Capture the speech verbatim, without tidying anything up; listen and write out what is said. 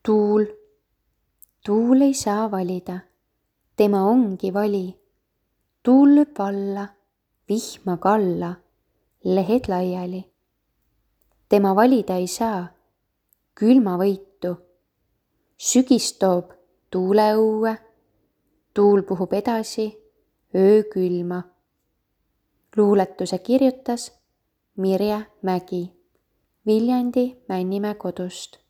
tuul. tuul ei saa valida, tema ongi vali. tuul lööb alla, vihma kalla, lehed laiali. tema valida ei saa külmavõitu. sügis toob tuule õue, tuul puhub edasi öökülma. luuletuse kirjutas Mirje Mägi Viljandi Männimäe kodust.